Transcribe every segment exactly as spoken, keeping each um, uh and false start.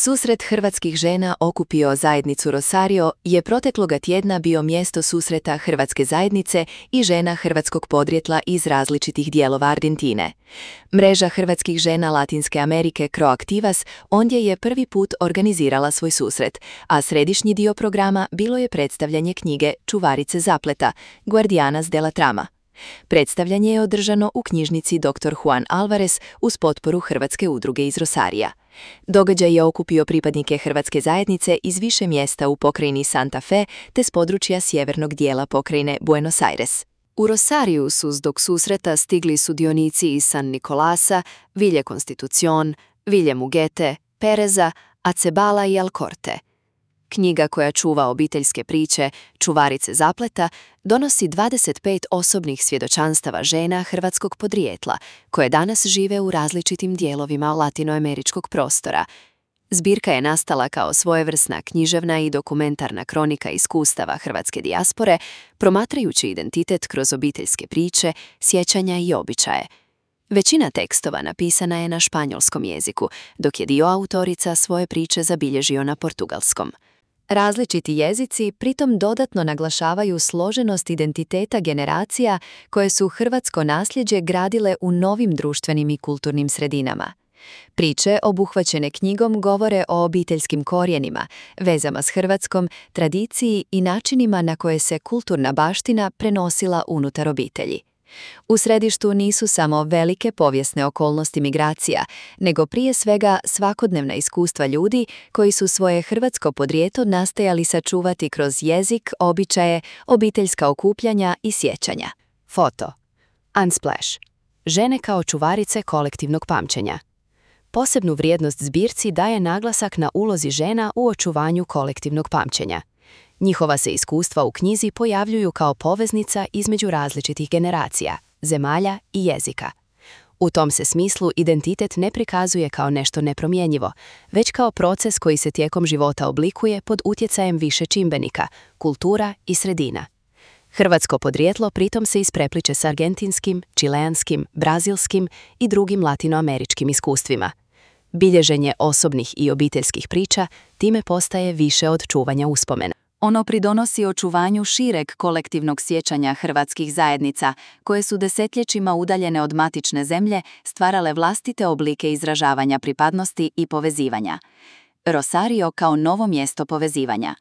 Susret hrvatskih žena okupio zajednicu Rosario je protekloga tjedna bio mjesto susreta hrvatske zajednice i žena hrvatskog podrijetla iz različitih dijelova Argentine. Mreža hrvatskih žena Latinske Amerike Croactivas ondje je prvi put organizirala svoj susret, a središnji dio programa bilo je predstavljanje knjige Čuvarice zapleta, Guardianas de la Trama. Predstavljanje je održano u knjižnici doktor Juan Alvarez uz potporu Hrvatske udruge iz Rosarija. Događaj je okupio pripadnike hrvatske zajednice iz više mjesta u pokrajini Santa Fe te s područja sjevernog dijela pokrajine Buenos Aires. U Rosariju su zbog susreta stigli sudionici iz San Nicolasa, Ville Constitución, Ville Muguete, Pereza, Acebala i Alcorte. Knjiga koja čuva obiteljske priče, Čuvarice zapleta, donosi dvadeset pet osobnih svjedočanstava žena hrvatskog podrijetla, koje danas žive u različitim dijelovima latinoameričkog prostora. Zbirka je nastala kao svojevrsna književna i dokumentarna kronika iskustava hrvatske dijaspore, promatrajući identitet kroz obiteljske priče, sjećanja i običaje. Većina tekstova napisana je na španjolskom jeziku, dok je dio autorica svoje priče zabilježio na portugalskom. Različiti jezici pritom dodatno naglašavaju složenost identiteta generacija koje su hrvatsko nasljeđe gradile u novim društvenim i kulturnim sredinama. Priče obuhvaćene knjigom govore o obiteljskim korijenima, vezama s Hrvatskom, tradiciji i načinima na koje se kulturna baština prenosila unutar obitelji. U središtu nisu samo velike povijesne okolnosti migracija, nego prije svega svakodnevna iskustva ljudi koji su svoje hrvatsko podrijetlo nastojali sačuvati kroz jezik, običaje, obiteljska okupljanja i sjećanja. Foto. Unsplash. Žene kao čuvarice kolektivnog pamćenja. Posebnu vrijednost zbirci daje naglasak na ulozi žena u očuvanju kolektivnog pamćenja. Njihova se iskustva u knjizi pojavljuju kao poveznica između različitih generacija, zemalja i jezika. U tom se smislu identitet ne prikazuje kao nešto nepromjenjivo, već kao proces koji se tijekom života oblikuje pod utjecajem više čimbenika, kultura i sredina. Hrvatsko podrijetlo pritom se isprepliče s argentinskim, čileanskim, brazilskim i drugim latinoameričkim iskustvima. Bilježenje osobnih i obiteljskih priča time postaje više od čuvanja uspomena. Ono pridonosi očuvanju šireg kolektivnog sjećanja hrvatskih zajednica, koje su desetljećima udaljene od matične zemlje stvarale vlastite oblike izražavanja pripadnosti i povezivanja. Rosario kao novo mjesto povezivanja.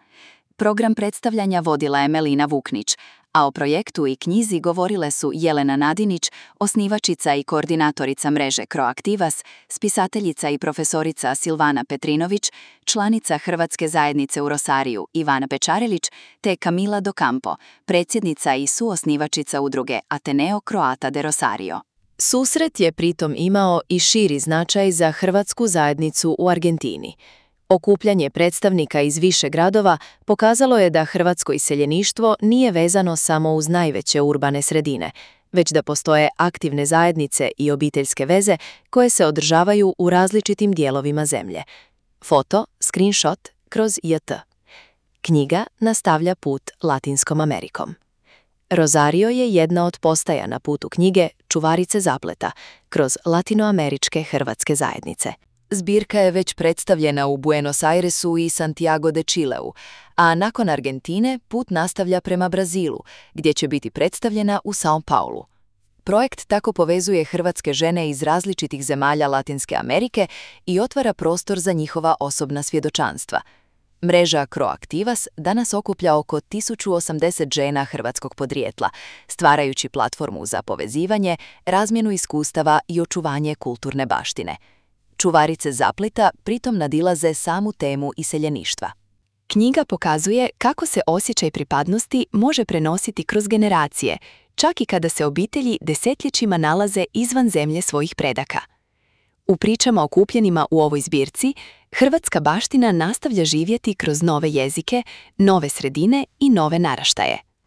Program predstavljanja vodila je Melina Vuknić, a o projektu i knjizi govorile su Jelena Nadinić, osnivačica i koordinatorica mreže Croactivas, spisateljica i profesorica Silvana Petrinović, članica Hrvatske zajednice u Rosariju Ivana Pečarelić, te Camila Docampo, predsjednica i suosnivačica udruge Ateneo Croata de Rosario. Susret je pritom imao i širi značaj za hrvatsku zajednicu u Argentini. Okupljanje predstavnika iz više gradova pokazalo je da hrvatsko iseljeništvo nije vezano samo uz najveće urbane sredine, već da postoje aktivne zajednice i obiteljske veze koje se održavaju u različitim dijelovima zemlje. Foto, screenshot kroz J T. Knjiga nastavlja put Latinskom Amerikom. Rosario je jedna od postaja na putu knjige Čuvarice zapleta kroz latinoameričke hrvatske zajednice. Zbirka je već predstavljena u Buenos Airesu i Santiago de Chileu, a nakon Argentine put nastavlja prema Brazilu, gdje će biti predstavljena u São Paulu. Projekt tako povezuje hrvatske žene iz različitih zemalja Latinske Amerike i otvara prostor za njihova osobna svjedočanstva. Mreža Croactivas danas okuplja oko tisuću osamdeset žena hrvatskog podrijetla, stvarajući platformu za povezivanje, razmjenu iskustava i očuvanje kulturne baštine. Čuvarice zapleta pritom nadilaze samu temu iseljeništva. Knjiga pokazuje kako se osjećaj pripadnosti može prenositi kroz generacije, čak i kada se obitelji desetljećima nalaze izvan zemlje svojih predaka. U pričama okupljenima u ovoj zbirci, hrvatska baština nastavlja živjeti kroz nove jezike, nove sredine i nove naraštaje.